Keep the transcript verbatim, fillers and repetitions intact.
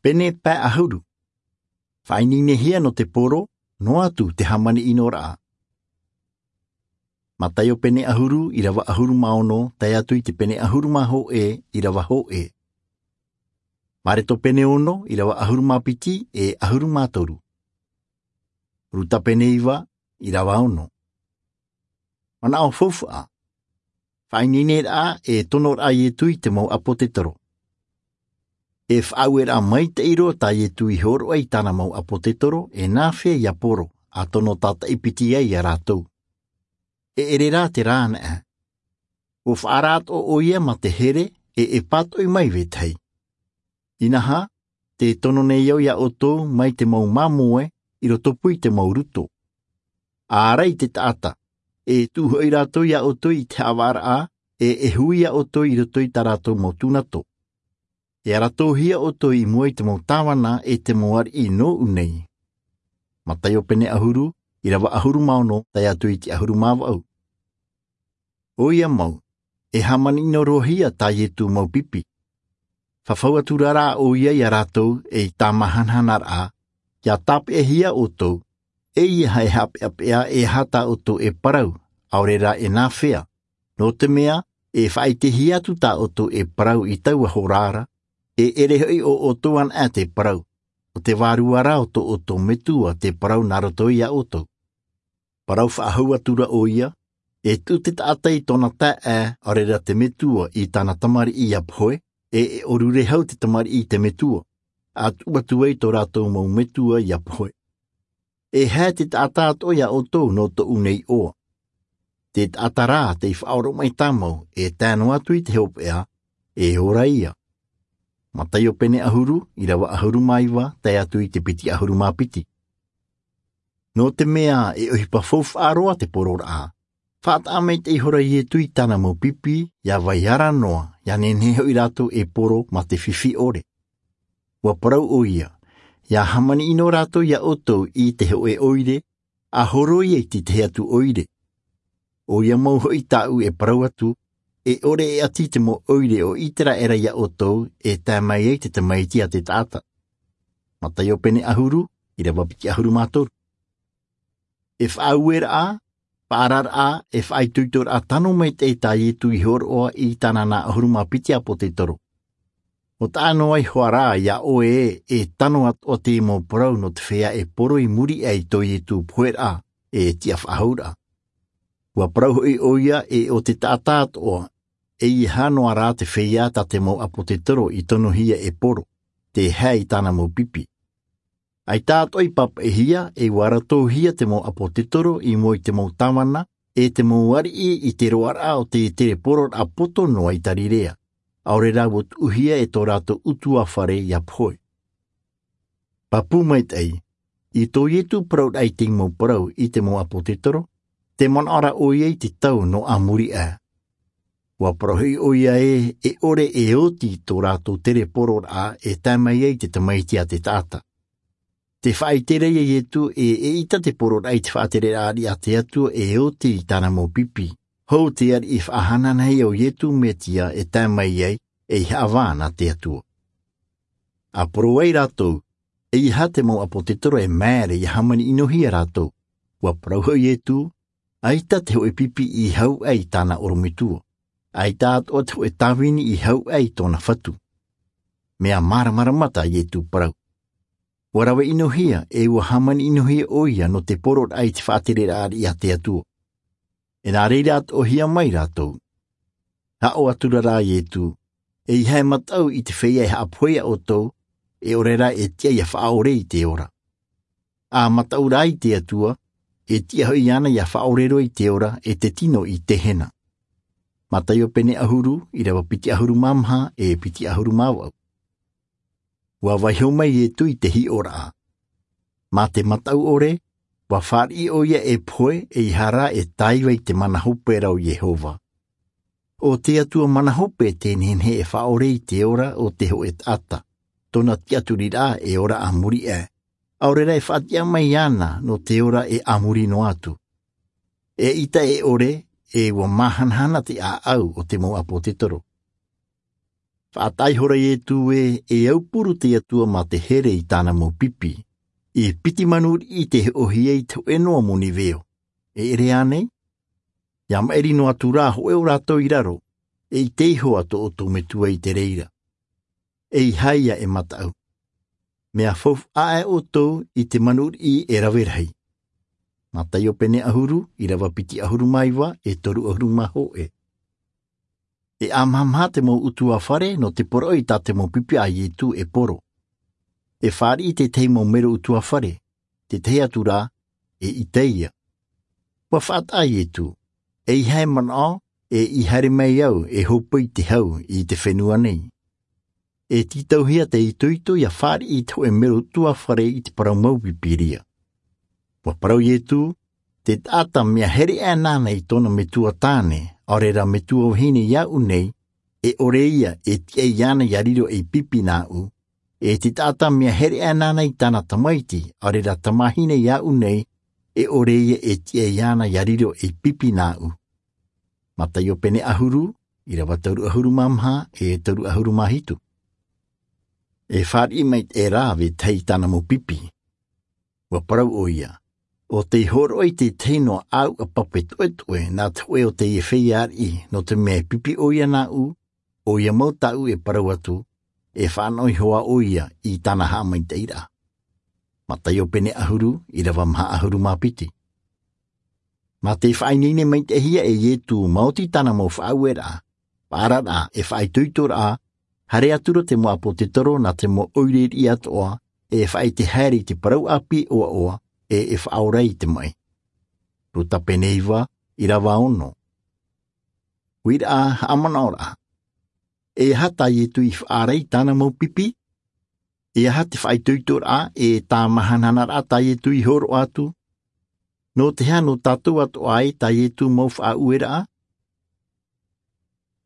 Pene pae ʻahuru. Faʻaineinehia nō te poro, noa atu te hāmani ʻino raʻa. Mataio pene ʻahuru, ʻirava ʻahuru mā ono, tae atu i te pene ʻahuru mā hōʻē, ʻirava hōʻē. Mareto pene ono, ʻirava ʻahuru mā piti, e ʻahuru mā toru. Ruta pene iva, ʻirava ono. Manaʻo faufaʻa. Faʻaineine raʻa e tono raʻa Ietu i te mau ʻāpōtetoro. E faʻaueraʻa maitaʻi roa tā Ietu i hōroʻa i tāna mau ʻāpōtetoro, e nāfea ia poro, a tono tātaʻi piti ai iā rātou. E ʻere rā te rā anaʻe. ʻUa faʻaara atoʻa ʻoia mā te here, e e pātoʻi mai vetahi. Inaha, te tono nei au iā ʻoutou mai te mau māmoe, i rotopū i te mau ruto. A ʻaʻara i te taʻata, e tuʻu hoʻi rātou iā ʻoutou i te haʻavāraʻa, e e hui iā ʻoutou i roto i tā rātou mau tūnato. E aratohia ʻoutou i mua i te mau tāvana e te mau ariʻi nōʻu nei. Mataio pene ʻahuru, ʻirava ʻahuru mā ono, tae atu i te ʻahuru mā vaʻu. ʻOia mau, e hāmani ʻino roa hia tā Ietu mau pipi. Fafau atu rā rā ʻoia iā rātou, e i tā māhanahana raʻa, ia tāpeʻahia ʻoutou, ʻeiaha e haʻapeʻapeʻa e aha tā ʻoutou e parau, ʻaore rā e nāfea, nō te mea, e faʻaʻitehia atu tā ʻoutou e parau i taua hora ra, e ʻere hoʻi ʻo ʻoutou anaʻe te parau, ʻo te vārua rā o tō ʻoutou Metua te parau nā roto iā ʻoutou. Parau faʻahou atu rā ʻoia, e tuʻu te taʻata i tōna taeaʻe, ʻaore rā te metua i tāna tamariʻi ia pohe, e e ʻōrure hau te tamariʻi i te metua, a tuʻu atu ai tō rātou mau metua ia pohe. E hae te taʻata atoʻa iā ʻoutou nō tōʻu nei iʻoa. Te taʻata rā tei faʻaoromaʻi tāmau, e tae noa atu i te hopeʻa, e ora ia. Mataio pene ʻahuru, ʻirava ʻahuru mā iva, tae atu i te piti ʻahuru mā piti. Nō te mea e ʻohipa faufaʻa roa te pororaʻa, faʻataʻa maitaʻi ihora Ietu i tāna mau pipi, ia vai ara noa, ia nehenehe hoʻi rātou e poro mā te fifi ʻore. ʻUa parau ʻoia, ia hāmani ʻino rātou iā ʻoutou i te hōʻē ʻoire, a horo ia i te tahi atu ʻoire. ʻOia mau hoʻi tāʻu e parau atu, e ʻore e ʻati te mau ʻoire o Iteraera iā ʻoutou, e tae mai ai te Tamaiti a te taʻata. Mataio pene ʻahuru, ʻirava piti ʻahuru mā toru. E faʻaueraʻa, faʻaararaʻa, e faʻaitoitoraʻa tano maitaʻi tā Ietu i hōroʻa i tāna nā ʻahuru mā piti ʻāpōtetoro. ʻO taʻa noa iho ā rā iā ʻoe ē, e tano atoʻa te mau parau nō te feiā e poro i muri aʻe i tō Ietu poheraʻa, e tiʻa faʻahou ra. ʻUa parau hoʻi ʻoia ē ʻo te taʻata atoʻa, ʻeiaha noa rā te feiā tā te mau ʻāpōtetoro i tonohia e poro, te hae i tāna mau pipi. ʻAita atoʻa i pāpaʻihia, e ʻua aratohia te mau ʻāpōtetoro i mua i te mau tāvana, e te mau ariʻi i te roaraʻa o te terepororaʻa poto noa i Tarirea, ʻaore rā ʻua tuʻuhia e tō rātou ʻutuāfare ia pohe. Pāpū maitaʻi, i tō Ietu parauraʻa i te mau parau i te mau ʻāpōtetoro, tē manaʻo ra ʻoia i te tau nō a muri aʻe. ʻUa parau hoʻi ʻoia ē, e ʻore e oti tō rātou terepororaʻa e tae mai ai te Tamaiti a te taʻata. Tē faʻaʻite ra ïa Ietu ē, eʻita te pororaʻa i te faʻatereraʻa ariʻi a te Atua e oti i tāna mau pipi. Hou te ariʻi faʻahanahana o Ietu Metia e tae mai ai, ei haʻavā nā te Atua. ʻA poro ai rātou, ʻeiaha te mau ʻāpōtetoro e maere ʻia hāmani ʻinohia rātou. ʻUa parau hoʻi Ietu, ʻaita te hōʻē pipi i hau aʻe i tāna ʻorometua. ʻAita atoʻa te hōʻē tāvini i hau aʻe i tōna fatu. Mea māramarama tā Ietu parau. ʻUa rave ʻinohia, e ʻua hāmani ʻinohia ʻoia nō te pororaʻa i te faʻatereraʻa ariʻi a te Atua. E nā reira atoʻahia mai rātou. Haʻo atu ra rā Ietu, ʻeiaha e mataʻu i te feiā e haʻapohe iā ʻoutou, e ʻore rā e tiʻa ʻia faʻaʻore i te ora. ʻA mataʻu rā i te Atua, e tiʻa hoʻi iāna ʻia faʻaʻore roa i te ora, e te tino i Tehena. Mataio pene ʻahuru, ʻirava piti ʻahuru mā maha, e piti ʻahuru mā vaʻu. ʻUa vaiiho mai Ietu i te hiʻoraʻa. Mā te mataʻu ʻore, ʻua fāriʻi ʻoia e pohe, ʻeiaha rā e tāiva i te mana hope ra o Iehova. ʻO te Atua mana hope tē nehenehe e faʻaʻore i te ora o te hōʻē taʻata, tōna tiʻaturiraʻa e ora a muri aʻe. ʻAore rā e faʻatiʻa mai iāna nō te ora e a muri noa atu. ʻEʻita e ʻore, e ʻua māhanahana te ʻāʻau o te mau ʻāpōtetoro. Faʻataʻa ihora iesu ē, e aupuru te atua mā te here i tāna mau pipi. E piti manu riʻi te hoʻohia i te hoʻe noa moni veo. E ʻere ānei? Ia maʻiri noa atu rā hoʻe o rātou i raro, e ʻite iho ā tō ʻoutou metua i te reira. E ʻeiaha ia e mataʻu. Mea faufaʻa aʻe ʻoutou i te manu riʻi e rave rahi. Mataio pene ʻahuru, ʻirava piti ʻahuru mā iva e toru ʻahuru mā hoʻe. E ʻamahamaha te mau utuafare nō te poroʻi tā te mau pipi a iesu e poro. E fāriʻi tētahi mau mero utuafare, tētahi atu rā, e ʻite ia. Ua faʻataʻa iesu, ʻeiaha e manaʻo, e i haere mai au e hōpoi i te hau i te fenua nei. E tītauhia te itoito ia fāriʻi i te hoʻe mero utuafare i te parau mau pipi. Ua parau iesu, te taʻata mea here aʻe nāna i tōna metua tāne, ʻaore rā metua vahine iāʻu nei, e ʻore ia e tiʻa iāna ia riro ei pipi nāʻu. E te taʻata mea here aʻe nāna i tāna tamaiti, ʻaore rā tamahine iāʻu nei, e ʻore ia e tiʻa iāna ia riro ei pipi nāʻu. Mataio pene ʻahuru, ʻirava toru ʻahuru mā maha e toru ʻahuru mā hitu. E fāriʻi mai te rā vetahi i tāna mau pipi. Ua parau ʻoia, ʻo tei hōroʻa i tētahi noa ʻāuʻa pape toʻetoʻe nā te hoʻe o teie feiā riʻi, nō te mea e pipi ʻoia nāʻu, ʻoia mau tāʻu e parau atu, e fānaʻo iho ā ʻoia i tāna haʻamaitaʻiraʻa. Mataio pene ʻahuru, ʻirava maha ʻahuru mā piti. Mā te faʻaineine maitaʻihia e iesu maoti tāna mau faʻaueraʻa, paʻararaʻa e faʻaitoitoraʻa, haere atu rā te mau ʻāpōsetolo nā te mau ʻoire riʻi atoʻa, e faʻaʻite haere i te parau ʻāpī ʻoaʻoa, e e faʻaora i te maʻi. Luka pene iva, ʻirava ono. Uiraʻa, haʻamanaʻoraʻa. E aha tā iesu i faʻaara i tāna mau pipi? E aha te faʻaitoitoraʻa e tāmahanahana raʻa tā iesu i hōroʻa atu? Nō te aha nō tātou atoʻa ē tā iesu mau faʻaueraʻa?